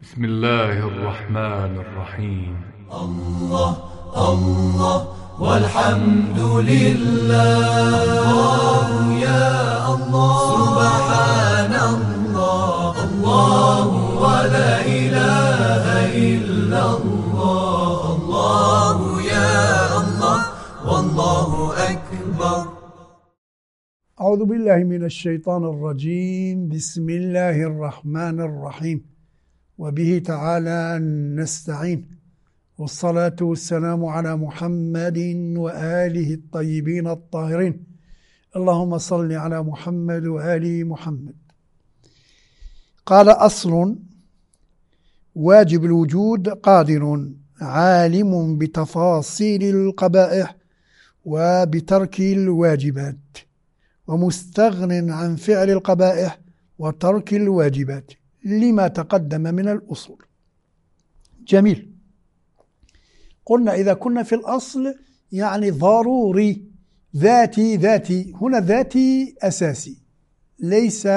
بسم الله الرحمن الرحيم. الله الله والحمد لله، الله يا الله، سبحان الله، الله ولا إله إلا الله، الله يا الله والله أكبر. أعوذ بالله من الشيطان الرجيم. بسم الله الرحمن الرحيم، وبه تعالى نستعين، والصلاة والسلام على محمد وآله الطيبين الطاهرين. اللهم صل على محمد وآل محمد. قال: أصل واجب الوجود قادر عالم بتفاصيل القبائح وبترك الواجبات، ومستغن عن فعل القبائح وترك الواجبات لما تقدم من الأصول. جميل. قلنا إذا كنا في الأصل يعني ضروري ذاتي، ذاتي هنا ذاتي أساسي، ليس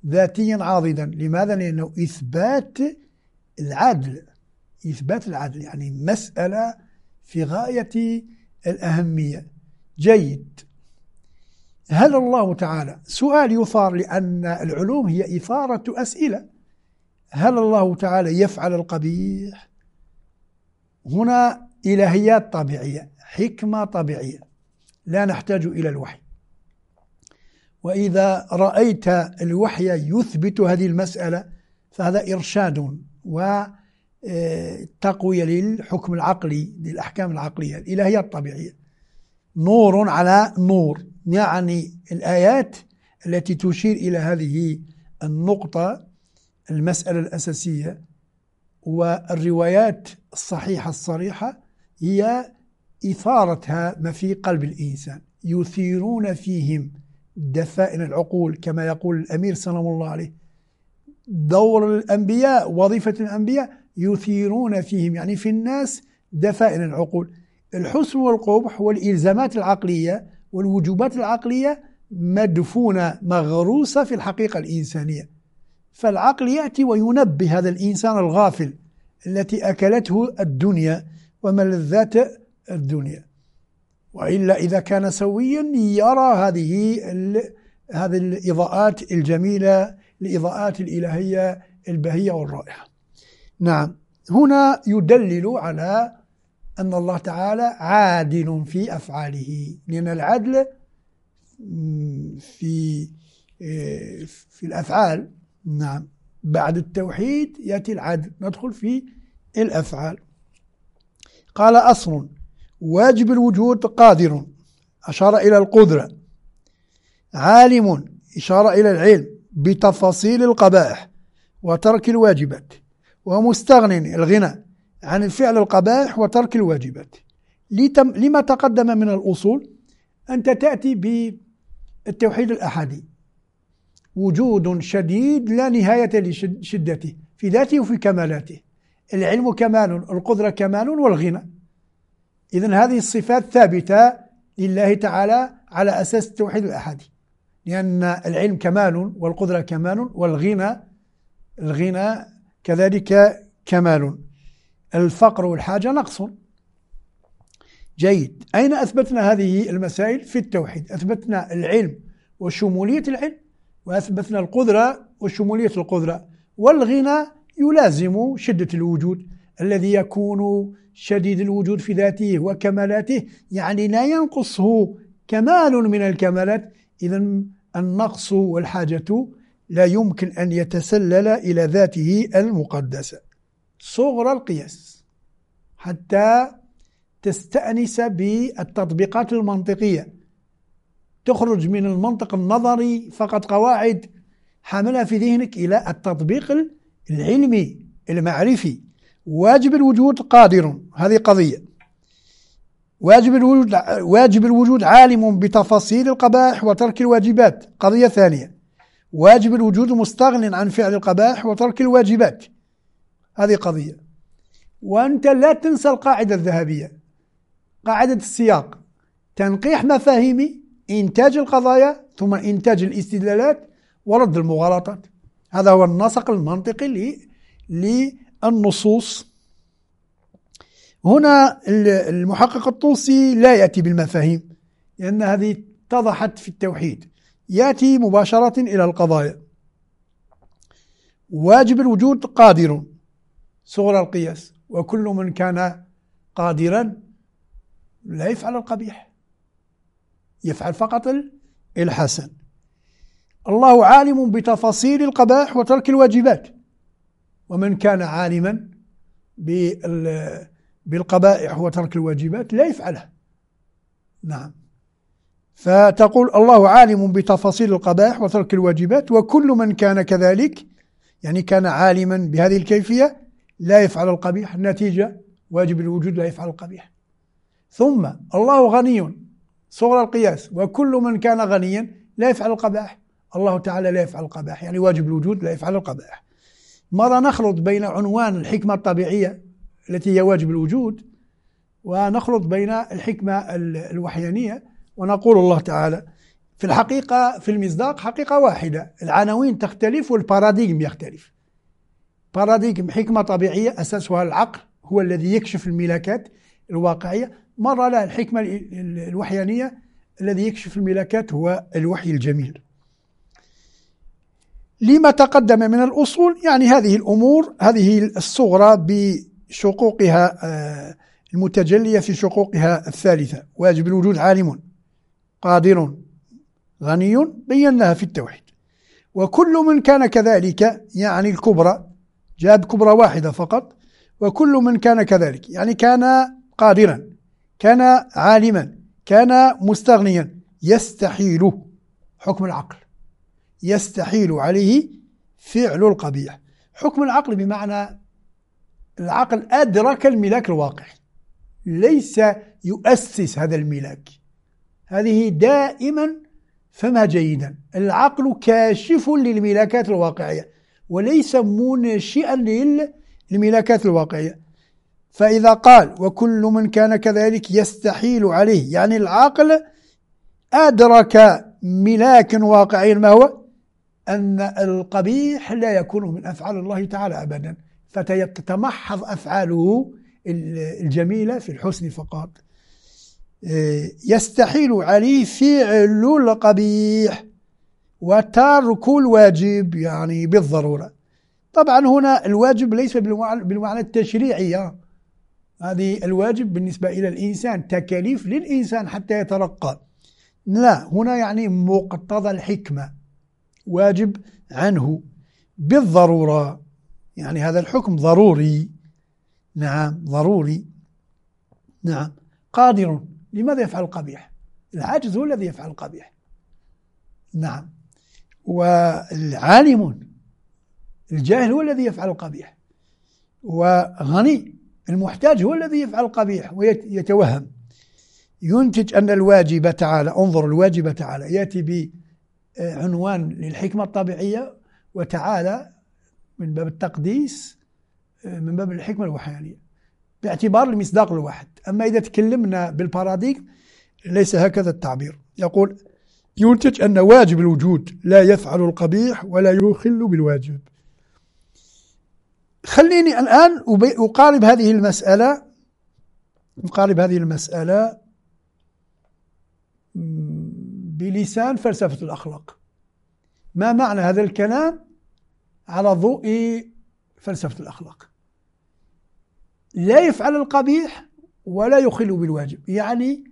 ذاتيا عاضدا. لماذا؟ لأنه إثبات العدل، إثبات العدل يعني مسألة في غاية الأهمية. جيد. هل الله تعالى، سؤال يثار لأن العلوم هي إثارة أسئلة، هل الله تعالى يفعل القبيح؟ هنا إلهيات طبيعية، حكمة طبيعية، لا نحتاج إلى الوحي. وإذا رأيت الوحي يثبت هذه المسألة فهذا إرشاد وتقوية للحكم العقلي، للأحكام العقلية، الإلهيات الطبيعية. نور على نور، يعني الآيات التي تشير إلى هذه النقطة، المسألة الأساسية، والروايات الصحيحة الصريحة هي إثارتها ما في قلب الإنسان، يثيرون فيهم دفائن العقول، كما يقول الأمير سلام الله عليه، دور الأنبياء، وظيفة الأنبياء، يثيرون فيهم يعني في الناس دفائن العقول. الحسن والقبح والإلزامات العقلية والوجوبات العقلية مدفونة مغروسة في الحقيقة الإنسانية، فالعقل يأتي وينبه هذا الإنسان الغافل التي أكلته الدنيا وملذات الدنيا، وإلا إذا كان سويا يرى هذه الإضاءات الجميلة، الإضاءات الإلهية البهية والرائحة. نعم، هنا يدلل على أن الله تعالى عادل في أفعاله، لأن العدل في الأفعال. نعم، بعد التوحيد يأتي العدل، ندخل في الأفعال. قال: أصل واجب الوجود قادر، أشار إلى القدرة، عالم، إشارة إلى العلم بتفاصيل القبائح وترك الواجبات، ومستغن الغنى عن الفعل القبائح وترك الواجبات. لما تقدم من الأصول، أنت تأتي بالتوحيد الأحدي، وجود شديد لا نهاية لشدته في ذاته وفي كمالاته، العلم كمال، القدرة كمال، والغنى. إذن هذه الصفات ثابتة لله تعالى على أساس التوحيد الأحدي، لأن العلم كمال والقدرة كمال والغنى، الغنى كذلك كمال، الفقر والحاجة نقص. جيد. أين أثبتنا هذه المسائل؟ في التوحيد. أثبتنا العلم وشمولية العلم، وأثبتنا القدرة وشمولية القدرة، والغنى يلازم شدة الوجود الذي يكون شديد الوجود في ذاته وكمالاته، يعني لا ينقصه كمال من الكمالات. إذن النقص والحاجة لا يمكن أن يتسلل إلى ذاته المقدسة. صغر القياس حتى تستأنس بالتطبيقات المنطقية، تخرج من المنطق النظري فقط قواعد حاملها في ذهنك إلى التطبيق العلمي المعرفي. واجب الوجود قادر، هذه قضية. واجب الوجود عالم بتفاصيل القبائح وترك الواجبات، قضية ثانية. واجب الوجود مستغن عن فعل القبائح وترك الواجبات، هذه قضية. وأنت لا تنسى القاعدة الذهبية، قاعدة السياق، تنقيح مفاهيمي، إنتاج القضايا، ثم إنتاج الاستدلالات ورد المغالطات. هذا هو النسق المنطقي للنصوص. هنا المحقق الطوسي لا يأتي بالمفاهيم لأن هذه اتضحت في التوحيد، يأتي مباشرة إلى القضايا. واجب الوجود قادر، صغر القياس، وكل من كان قادرا لا يفعل القبيح، يفعل فقط الحسن. الله عالم بتفاصيل القبائح وترك الواجبات، ومن كان عالما بالقبائح وترك الواجبات لا يفعلها. نعم، فتقول الله عالم بتفاصيل القبائح وترك الواجبات، وكل من كان كذلك، يعني كان عالما بهذه الكيفية، لا يفعل القبيح، النتيجة واجب الوجود لا يفعل القبيح. ثم الله غني، صغر القياس، وكل من كان غنيا لا يفعل القبائح، الله تعالى لا يفعل القبائح، يعني واجب الوجود لا يفعل القبائح. مرة نخلط بين عنوان الحكمة الطبيعية التي هي واجب الوجود، ونخلط بين الحكمة الوحيانية، ونقول الله تعالى في الحقيقة في المصداق حقيقة واحدة، العناوين تختلف والباراديغم يختلف. باراديغم حكمة طبيعية أساسها العقل، هو الذي يكشف الملاكات الواقعية. مرة لا، الحكمة الوحيانية الذي يكشف الملاكات هو الوحي الجميل. لما تقدم من الأصول، يعني هذه الأمور، هذه الصغرى بشقوقها المتجلية في شقوقها الثالثة، واجب الوجود عالم قادر غني، بيناها في التوحيد. وكل من كان كذلك، يعني الكبرى، جاب كبرى واحدة فقط، وكل من كان كذلك يعني كان قادرا، كان عالما، كان مستغنيا، يستحيل حكم العقل، يستحيل عليه فعل القبيح. حكم العقل بمعنى العقل أدرك الملاك الواقع، ليس يؤسس هذا الملاك. هذه دائما فهمها جيدا، العقل كاشف للملاكات الواقعية وليس منشئا للملاكات الواقعية. فإذا قال وكل من كان كذلك يستحيل عليه، يعني العقل أدرك ملاك واقعي، ما هو؟ أن القبيح لا يكون من أفعال الله تعالى أبدا، فتتمحض أفعاله الجميلة في الحسن فقط. يستحيل عليه فعل القبيح وترك الواجب، يعني بالضرورة. طبعا هنا الواجب ليس بالمعنى التشريعي، هذه الواجب بالنسبة إلى الإنسان، تكاليف للإنسان حتى يترقى. لا، هنا يعني مقتضى الحكمة، واجب عنه بالضرورة، يعني هذا الحكم ضروري. نعم ضروري. نعم قادر، لماذا يفعل القبيح؟ العاجز هو الذي يفعل القبيح. نعم، والعالم الجاهل هو الذي يفعل القبيح، وغني المحتاج هو الذي يفعل القبيح ويتوهم. ينتج أن الواجب تعالى، انظر الواجب تعالى يأتي بعنوان للحكمة الطبيعية، وتعالى من باب التقديس، من باب الحكمة الوحيانية، باعتبار المصداق الواحد. أما إذا تكلمنا بالباراديغم ليس هكذا التعبير. يقول ينتج أن واجب الوجود لا يفعل القبيح ولا يخل بالواجب. خليني الآن أقارب هذه المسألة، أقارب هذه المسألة بلسان فلسفة الأخلاق. ما معنى هذا الكلام على ضوء فلسفة الأخلاق؟ لا يفعل القبيح ولا يخل بالواجب، يعني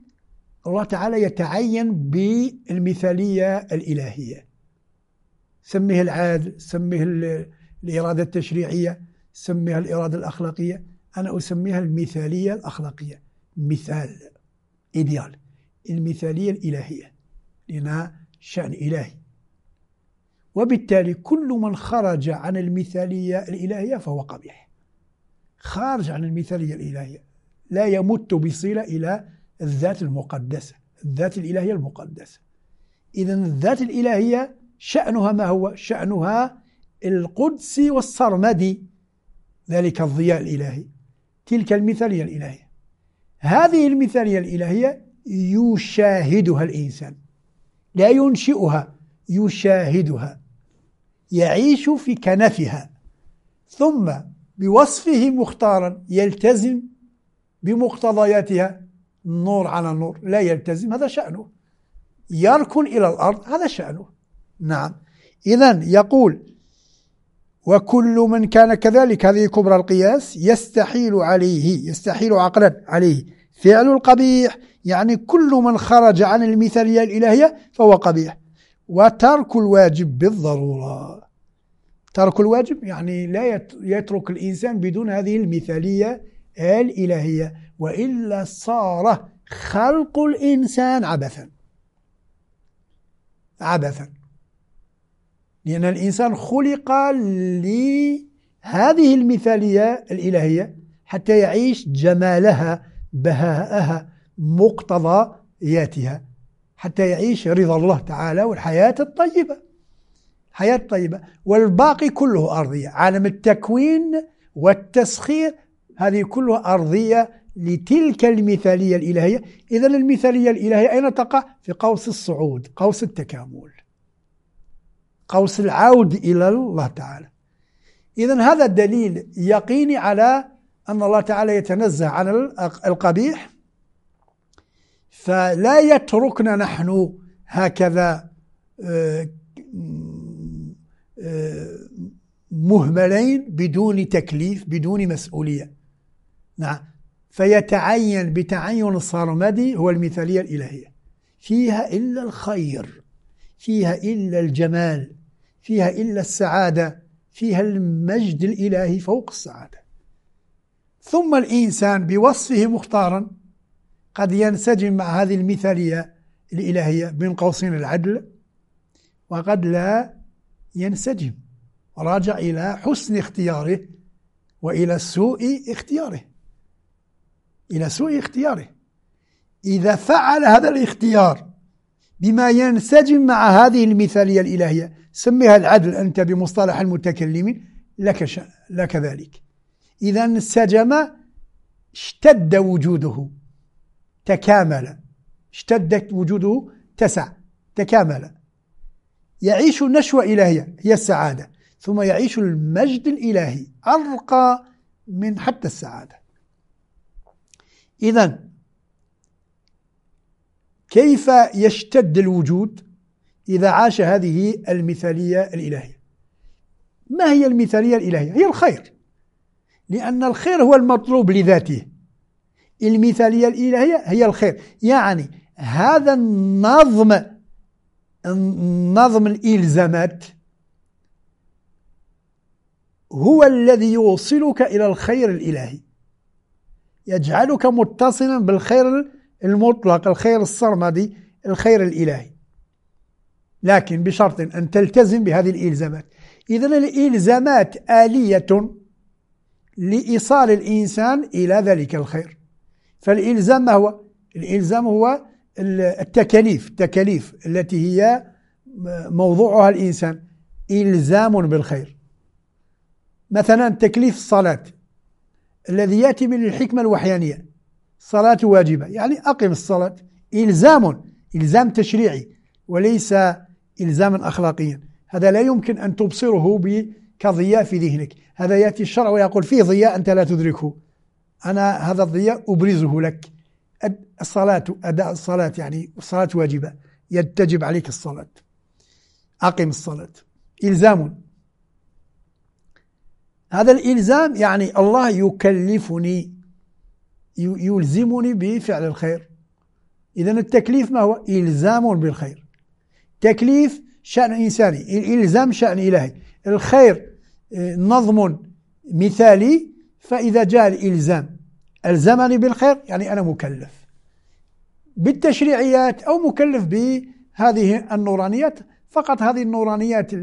الله تعالى يتعين بالمثالية الإلهية، سميها العدل، سميها الإرادة التشريعية، سميها الإرادة الأخلاقية، أنا أسميها المثالية الأخلاقية، مثال إيديال، المثالية الإلهية، لأنها شأن إلهي. وبالتالي كل من خرج عن المثالية الإلهية فهو قبيح، خارج عن المثالية الإلهية، لا يمت بصلة إلى الذات المقدسة، الذات الإلهية المقدسة. إذن الذات الإلهية شأنها ما هو؟ شأنها القدسي والسرمدي، ذلك الضياء الإلهي، تلك المثالية الإلهية. هذه المثالية الإلهية يشاهدها الإنسان، لا ينشئها، يشاهدها، يعيش في كنفها. ثم بوصفه مختارا يلتزم بمقتضياتها، نور على نور، لا يلتزم هذا شأنه، يركن إلى الأرض هذا شأنه. نعم. إذن يقول وكل من كان كذلك، هذه كبرى القياس، يستحيل عليه، يستحيل عقلا عليه فعل القبيح، يعني كل من خرج عن المثالية الإلهية فهو قبيح. وترك الواجب بالضرورة، ترك الواجب يعني لا يترك الإنسان بدون هذه المثالية الإلهية، وإلا صار خلق الإنسان عبثا، عبثا، لأن الإنسان خلق لهذه المثالية الإلهية حتى يعيش جمالها، بهاءها، مقتضياتها، حتى يعيش رضا الله تعالى والحياة الطيبة، حياة طيبة. والباقي كله أرضية، عالم التكوين والتسخير هذه كلها أرضية لتلك المثالية الإلهية. إذن المثالية الإلهية أين تقع؟ في قوس الصعود، قوس التكامل، قوس العود إلى الله تعالى. إذن هذا الدليل يقيني على أن الله تعالى يتنزه عن القبيح، فلا يتركنا نحن هكذا مهملين بدون تكليف، بدون مسؤولية. نعم. فيتعين بتعين الصرمدي هو المثالية الإلهية، فيها إلا الخير، فيها إلا الجمال، فيها إلا السعادة، فيها المجد الإلهي فوق السعادة. ثم الإنسان بوصفه مختارا قد ينسجم مع هذه المثالية الإلهية بين قوسين العدل، وقد لا ينسجم، راجع إلى حسن اختياره وإلى سوء اختياره، إلى سوء اختياره. إذا فعل هذا الاختيار بما ينسجم مع هذه المثالية الإلهية، سميها العدل أنت بمصطلح المتكلمين، لك ذلك. إذا انسجم اشتد وجوده، تكامل، اشتدت وجوده، تسع، تكامل، يعيش نشوة إلهية هي السعادة، ثم يعيش المجد الإلهي أرقى من حتى السعادة. إذن كيف يشتد الوجود إذا عاش هذه المثالية الإلهية؟ ما هي المثالية الإلهية؟ هي الخير، لأن الخير هو المطلوب لذاته. المثالية الإلهية هي الخير، يعني هذا النظم، نظم الإلزامات هو الذي يوصلك إلى الخير الإلهي، يجعلك متصلا بالخير المطلق، الخير السرمدي، الخير الإلهي، لكن بشرط أن تلتزم بهذه الإلزامات. إذن الإلزامات آلية لإيصال الإنسان إلى ذلك الخير. فالإلزام ما هو؟ الإلزام هو التكاليف، التكاليف التي هي موضوعها الإنسان، إلزام بالخير. مثلا تكليف الصلاة الذي يأتي من الحكمة الوحيانية، الصلاة واجبة، يعني أقم الصلاة، إلزام، إلزام تشريعي وليس إلزاما أخلاقيا. هذا لا يمكن أن تبصره كضياء في ذهنك، هذا يأتي الشرع ويقول فيه ضياء أنت لا تدركه، أنا هذا الضياء أبرزه لك. الصلاة، أداء الصلاة، يعني الصلاة واجبة، يتجب عليك الصلاة، أقم الصلاة، إلزام. هذا الإلزام يعني الله يكلفني، يلزمني بفعل الخير. إذن التكليف ما هو؟ إلزام بالخير. تكليف شأن إنساني، الإلزام شأن إلهي. الخير نظم مثالي، فإذا جاء الإلزام ألزمني بالخير، يعني أنا مكلف بالتشريعيات أو مكلف بهذه النورانيات. فقط هذه النورانيات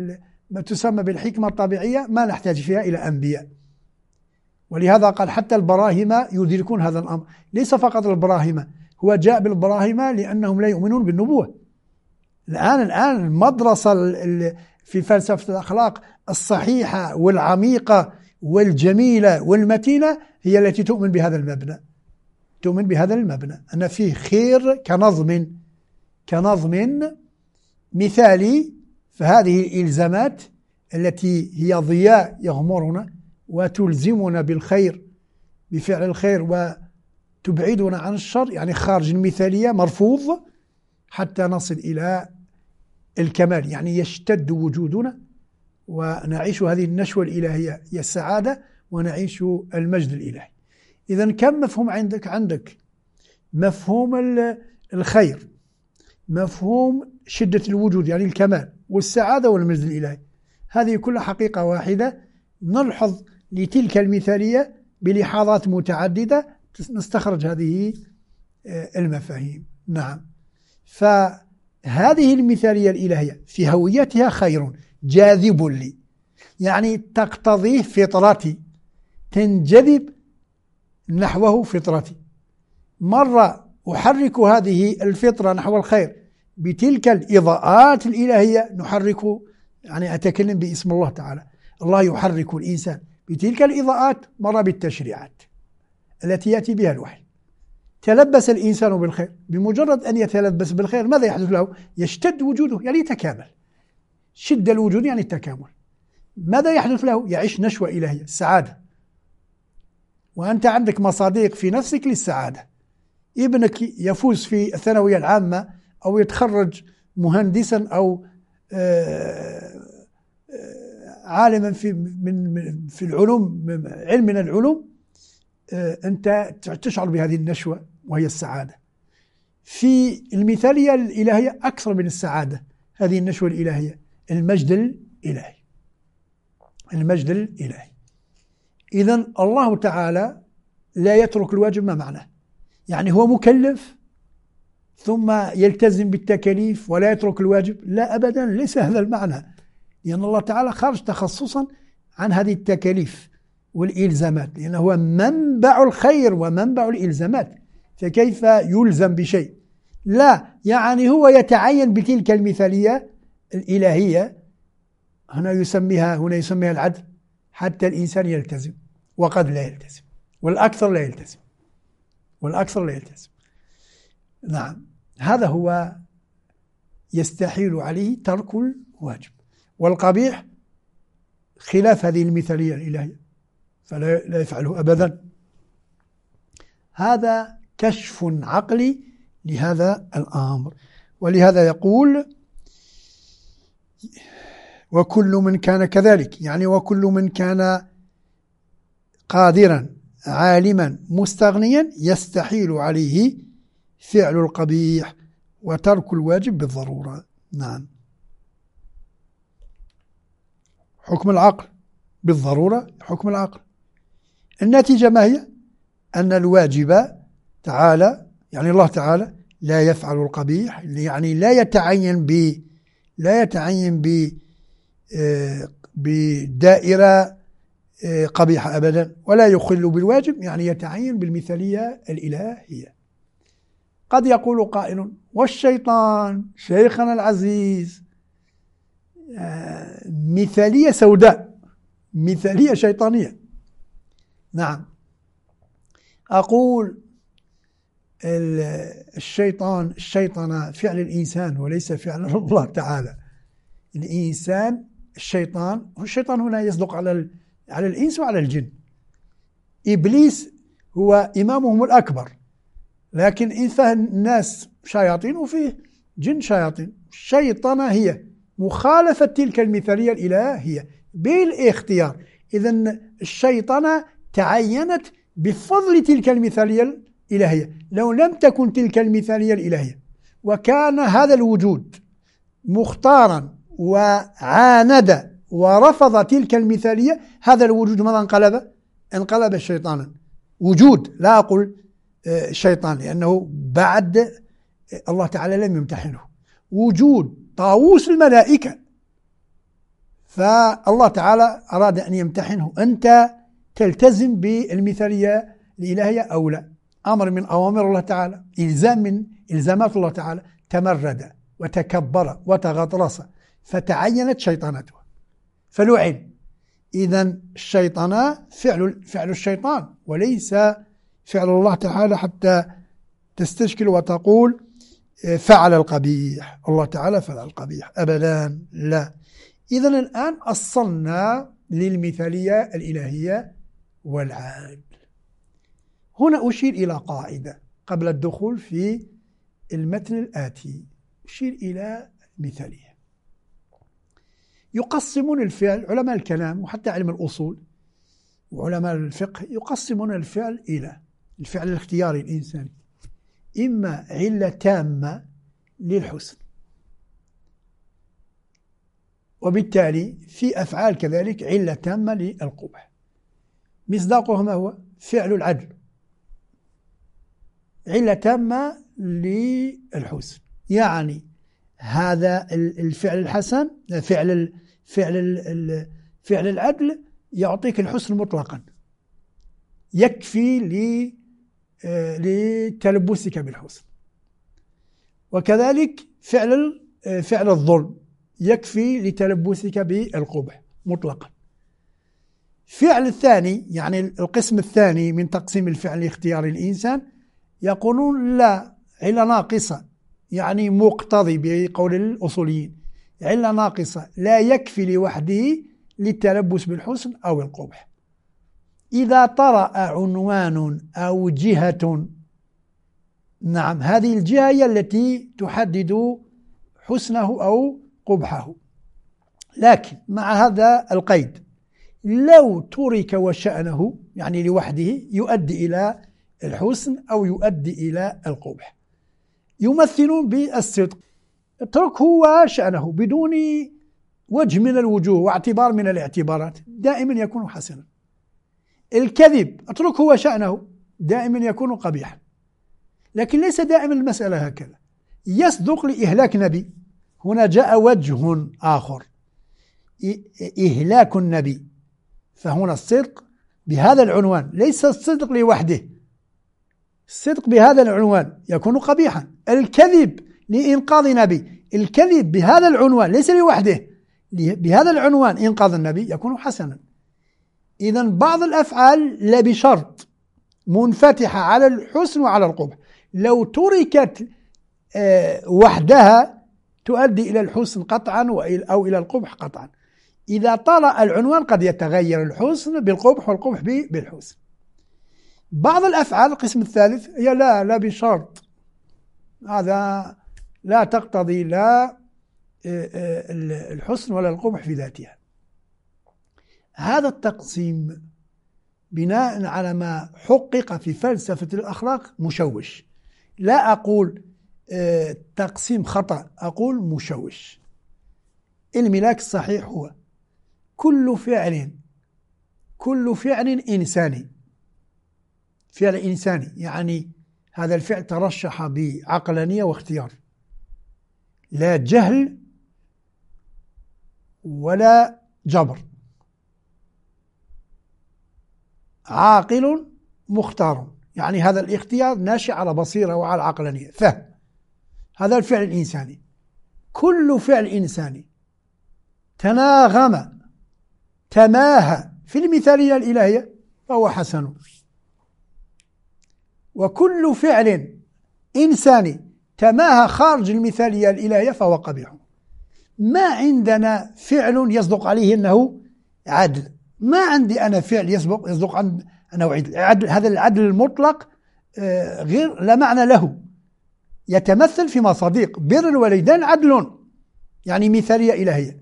ما تسمى بالحكمة الطبيعية ما نحتاج فيها إلى أنبياء، ولهذا قال حتى البراهمة يدركون هذا الأمر. ليس فقط البراهمة، هو جاء بالبراهمة لأنهم لا يؤمنون بالنبوة. الآن المدرسة في فلسفة الأخلاق الصحيحة والعميقة والجميلة والمتينة هي التي تؤمن بهذا المبنى، تؤمن بهذا المبنى أن فيه خير كنظم مثالي. فهذه الإلزامات التي هي ضياء يغمرنا وتلزمنا بالخير، بفعل الخير، وتبعدنا عن الشر، يعني خارج المثالية مرفوض، حتى نصل إلى الكمال، يعني يشتد وجودنا ونعيش هذه النشوة الإلهية هي السعادة، ونعيش المجد الإلهي. إذن كم مفهوم عندك؟ عندك مفهوم الخير، مفهوم شدة الوجود يعني الكمال، والسعادة والمجد الإلهي. هذه كلها حقيقة واحدة نلحظ لتلك المثالية بلحاظات متعددة نستخرج هذه المفاهيم. نعم، فهذه المثالية الإلهية في هويتها خير جاذب لي، يعني تقتضيه فطرتي، تنجذب نحوه فطرتي. مرة أحرك هذه الفطرة نحو الخير بتلك الإضاءات الإلهية، نحرك، يعني أتكلم باسم الله تعالى، الله يحرك الإنسان بتلك الإضاءات، مرة بالتشريعات التي يأتي بها الوحي. تلبس الإنسان بالخير، بمجرد أن يتلبس بالخير ماذا يحدث له؟ يشتد وجوده، يعني يتكامل. شد الوجود يعني التكامل. ماذا يحدث له؟ يعيش نشوة إلهية، السعادة. وأنت عندك مصاديق في نفسك للسعادة. ابنك يفوز في الثانوية العامة أو يتخرج مهندسا أو عالما في العلوم، علم من العلوم، أنت تشعر بهذه النشوة وهي السعادة. في المثالية الإلهية أكثر من السعادة، هذه النشوة الإلهية، المجد الإلهي، المجد الإلهي. إذن الله تعالى لا يترك الواجب. ما معناه؟ يعني هو مكلف ثم يلتزم بالتكاليف ولا يترك الواجب؟ لا أبدا، ليس هذا المعنى، لأن الله تعالى خارج تخصصا عن هذه التكاليف والإلزامات، لأنه هو منبع الخير ومنبع الإلزامات، فكيف يلزم بشيء؟ لا، يعني هو يتعين بتلك المثالية الإلهية، هنا يسميها العدل، حتى الإنسان يلتزم، وقد لا يلتزم، والأكثر لا يلتزم، والأكثر لا يلتزم. نعم، هذا هو يستحيل عليه ترك الواجب. والقبيح خلاف هذه المثالية الإلهية، فلا لا يفعله أبدا. هذا كشف عقلي لهذا الأمر. ولهذا يقول وكل من كان كذلك، يعني وكل من كان قادرا عالما مستغنيا يستحيل عليه فعل القبيح وترك الواجب بالضرورة. نعم، حكم العقل بالضرورة، حكم العقل. النتيجة ما هي؟ أن الواجب تعالى، يعني الله تعالى، لا يفعل القبيح، يعني لا يتعين ب بدائرة قبيحة أبدا، ولا يخل بالواجب، يعني يتعين بالمثالية الإلهية. قد يقول قائل والشيطان شيخنا العزيز مثالية سوداء، مثالية شيطانية. نعم، أقول الشيطان، الشيطنة فعل الإنسان وليس فعل الله تعالى. الإنسان الشيطان، الشيطان هنا يصدق على الإنس وعلى الجن. إبليس هو إمامهم الأكبر، لكن إن فهم الناس شياطين وفيه جن شياطين. الشيطنة هي مخالفة تلك المثالية الإلهية بالاختيار. إذن الشيطنة تعينت بفضل تلك المثالية الإلهية. لو لم تكن تلك المثالية الإلهية وكان هذا الوجود مختارا وعاند ورفض تلك المثالية، هذا الوجود ماذا انقلب؟ انقلب شيطانا. وجود، لا أقول شيطان لأنه بعد الله تعالى لم يمتحنه، وجود طاووس الملائكة، فالله تعالى أراد أن يمتحنه. أنت تلتزم بالمثالية الإلهية أو لا؟ أمر من أوامر الله تعالى، إلزام من إلزامات الله تعالى. تمرد وتكبر وتغطرس فتعينت شيطانته فلعن. إذن الشيطانة فعل الشيطان وليس فعل الله تعالى، حتى تستشكل وتقول فعل القبيح، الله تعالى فعل القبيح، أبدا لا. إذن الآن أصلنا للمثالية الإلهية والعدل. هنا أشير إلى قاعدة قبل الدخول في المتن الآتي، أشير إلى المثالية. يقسمون الفعل علماء الكلام وحتى علم الأصول وعلماء الفقه، يقسمون الفعل إلى الفعل الاختياري الإنساني، إما علة تامة للحسن، وبالتالي في أفعال كذلك علة تامة للقبح. مصداقه ما هو؟ فعل العدل، علة تامة للحسن، يعني هذا الفعل الحسن، فعل فعل فعل العدل يعطيك الحسن مطلقا، يكفي لتلبسك بالحسن. وكذلك فعل الظلم يكفي لتلبسك بالقبح مطلقا. فعل الثاني، يعني القسم الثاني من تقسيم الفعل لاختيار الإنسان، يقولون لا، علة ناقصة، يعني مقتضي بقول الأصوليين، علة ناقصة لا يكفي لوحده للتلبس بالحسن أو القبح. إذا طرأ عنوان أو جهة، نعم هذه الجهة هي التي تحدد حسنه أو قبحه، لكن مع هذا القيد لو ترك وشأنه، يعني لوحده، يؤدي إلى الحسن أو يؤدي إلى القبح. يمثلون بالصدق، اتركه وشأنه بدون وجه من الوجوه واعتبار من الاعتبارات، دائما يكون حسنا. الكذب اتركه وشأنه، دائما يكون قبيحا. لكن ليس دائما المسألة هكذا. يصدق لإهلاك نبي، هنا جاء وجه آخر، إهلاك النبي، فهنا الصدق بهذا العنوان ليس الصدق لوحده، الصدق بهذا العنوان يكون قبيحا. الكذب لإنقاذ نبي، الكذب بهذا العنوان ليس لوحده، بهذا العنوان إنقاذ النبي يكون حسنا. إذن بعض الأفعال لا بشرط منفتحة على الحسن وعلى القبح، لو تركت وحدها تؤدي إلى الحسن قطعا أو إلى القبح قطعا. إذا طرأ العنوان قد يتغير الحسن بالقبح والقبح بالحسن. بعض الأفعال القسم الثالث هي لا بشرط، هذا لا تقتضي لا الحسن ولا القبح في ذاتها. هذا التقسيم بناء على ما حقق في فلسفة الأخلاق مشوش. لا أقول تقسيم خطأ، أقول مشوش. الملاك الصحيح هو كل فعل إنساني، فعل إنساني يعني هذا الفعل ترشح بعقلانية واختيار، لا جهل ولا جبر، عاقل مختار، يعني هذا الاختيار ناشئ على بصيرة وعلى عقلانية، فهم. هذا الفعل الإنساني. كل فعل إنساني تناغم تماهى في المثالية الإلهية فهو حسن، وكل فعل إنساني تماهى خارج المثالية الإلهية فهو قبيح. ما عندنا فعل يصدق عليه أنه عدل، ما عندي أنا فعل يصدق أنه عدل. هذا العدل المطلق غير لا معنى له، يتمثل في مصاديق. بر الوالدين عدل، يعني مثالية إلهية.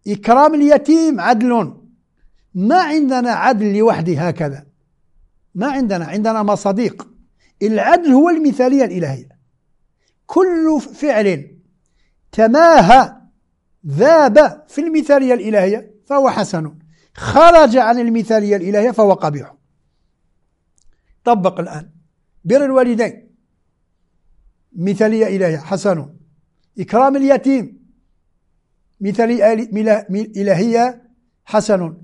إكرام اليتيم عدل. ما عندنا عدل لوحده هكذا، ما عندنا، عندنا مصاديق. العدل هو المثالية الإلهية. كل فعل تماهى ذاب في المثالية الإلهية فهو حسن، خرج عن المثالية الإلهية فهو قبيح. طبق الآن بر الوالدين مثالية إلهية حسن، إكرام اليتيم مثالية إلهية حسن،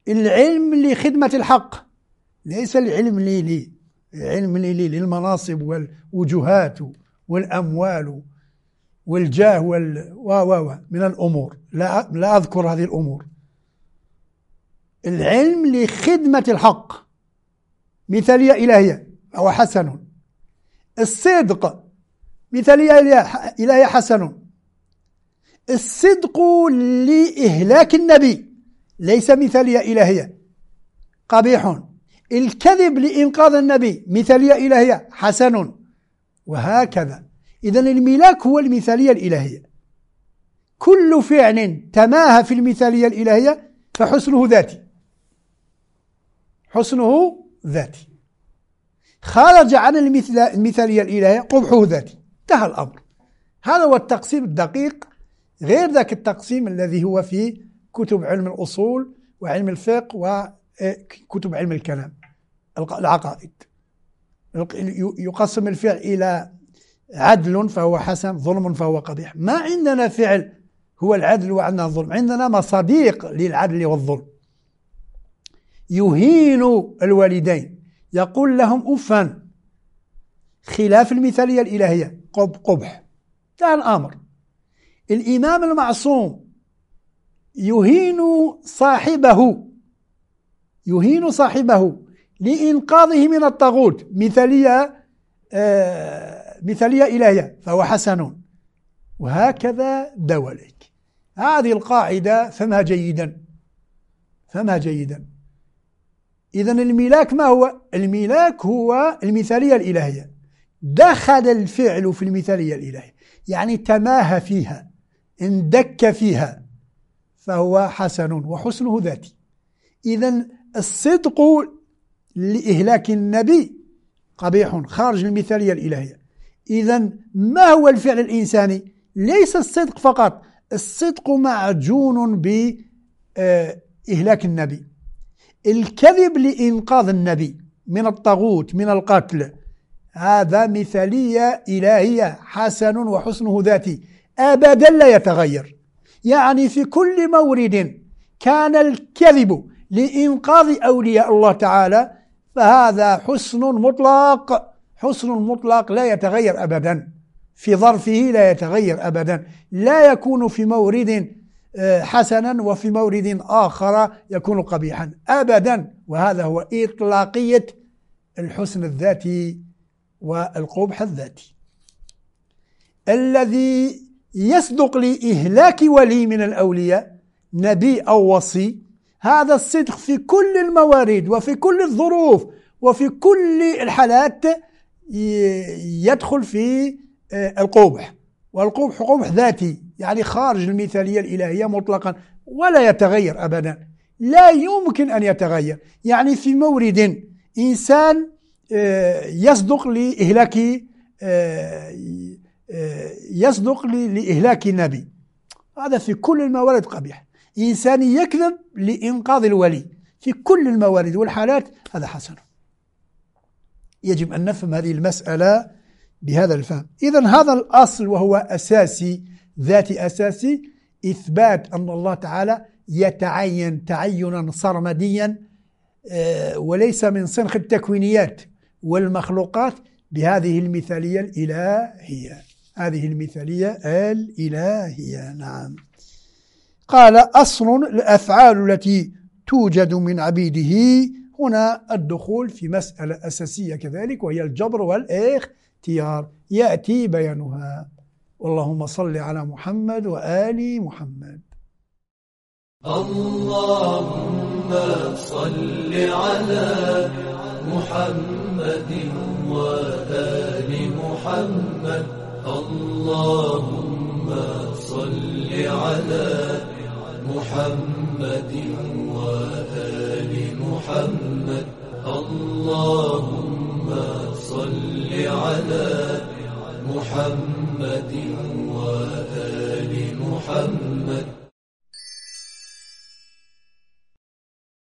العلم لخدمة الحق، ليس العلم لي، العلم لي للمناصب والوجهات والأموال والجاه و من الأمور، لا أذكر هذه الأمور. العلم لخدمة الحق مثالية إلهية أو حسن. الصدق مثالية إلهية حسن. الصدق لإهلاك النبي، ليس مثالية إلهية، قبيح. الكذب لإنقاذ النبي مثالية إلهية، حسن. وهكذا. إذن الملاك هو المثالية الإلهية. كل فعل تماهى في المثالية الإلهية فحسنه ذاتي، حسنه ذاتي. خرج عن المثالية الإلهية قبحه ذاتي. انتهى الأمر. هذا هو التقسيم الدقيق، غير ذاك التقسيم الذي هو في كتب علم الأصول وعلم الفقه وكتب علم الكلام العقائد. يقسم الفعل إلى عدل فهو حسن، ظلم فهو قبيح. ما عندنا فعل هو العدل وعندنا الظلم، عندنا مصاديق للعدل والظلم. يهين الوالدين، يقول لهم أفا، خلاف المثالية الإلهية، قبح. انتهى الأمر. الإمام المعصوم يهين صاحبه، يهين صاحبه لإنقاذه من الطاغوت، مثالية إلهية، فهو حسن. وهكذا دواليك. هذه القاعدة فهمها جيدا، فهمها جيدا. إذن الملاك ما هو؟ الملاك هو المثالية الإلهية. دخل الفعل في المثالية الإلهية، يعني تماهى فيها، اندك فيها، فهو حسن وحسنه ذاتي. إذن الصدق لإهلاك النبي قبيح، خارج المثالية الإلهية. إذن ما هو الفعل الإنساني؟ ليس الصدق فقط، الصدق معجون بإهلاك النبي. الكذب لإنقاذ النبي من الطاغوت، من القتل، هذا مثالية إلهية، حسن وحسنه ذاتي، أبدا لا يتغير. يعني في كل مورد كان الكذب لإنقاذ أولياء الله تعالى فهذا حسن مطلق، حسن مطلق لا يتغير أبدا، في ظرفه لا يتغير أبدا، لا يكون في مورد حسنا وفي مورد آخر يكون قبيحا أبدا. وهذا هو إطلاقية الحسن الذاتي والقبح الذاتي. الذي يصدق لإهلاك ولي من الأولياء، نبي أو وصي، هذا الصدق في كل الموارد وفي كل الظروف وفي كل الحالات يدخل في القبح. والقبح قبح ذاتي، يعني خارج المثالية الإلهية مطلقا ولا يتغير أبدا، لا يمكن أن يتغير. يعني في مورد إنسان يصدق لإهلاك يصدق لإهلاك النبي، هذا في كل الموارد قبيح. إنسان يكذب لإنقاذ الولي في كل الموارد والحالات، هذا حسن. يجب أن نفهم هذه المسألة بهذا الفهم. إذن هذا الأصل وهو أساسي، ذاتي أساسي، إثبات أن الله تعالى يتعين تعينا سرمديا وليس من سنخ التكوينيات والمخلوقات بهذه المثالية الإلهية، هذه المثالية الإلهية. نعم. قال أصل الأفعال التي توجد من عبيده. هنا الدخول في مسألة أساسية كذلك، وهي الجبر والاختيار، يأتي بيانها. اللهم صل على محمد وآل محمد. اللهم صل على محمد وآل محمد. اللهم صل على محمد وآل محمد. اللهم صل على محمد وآل محمد.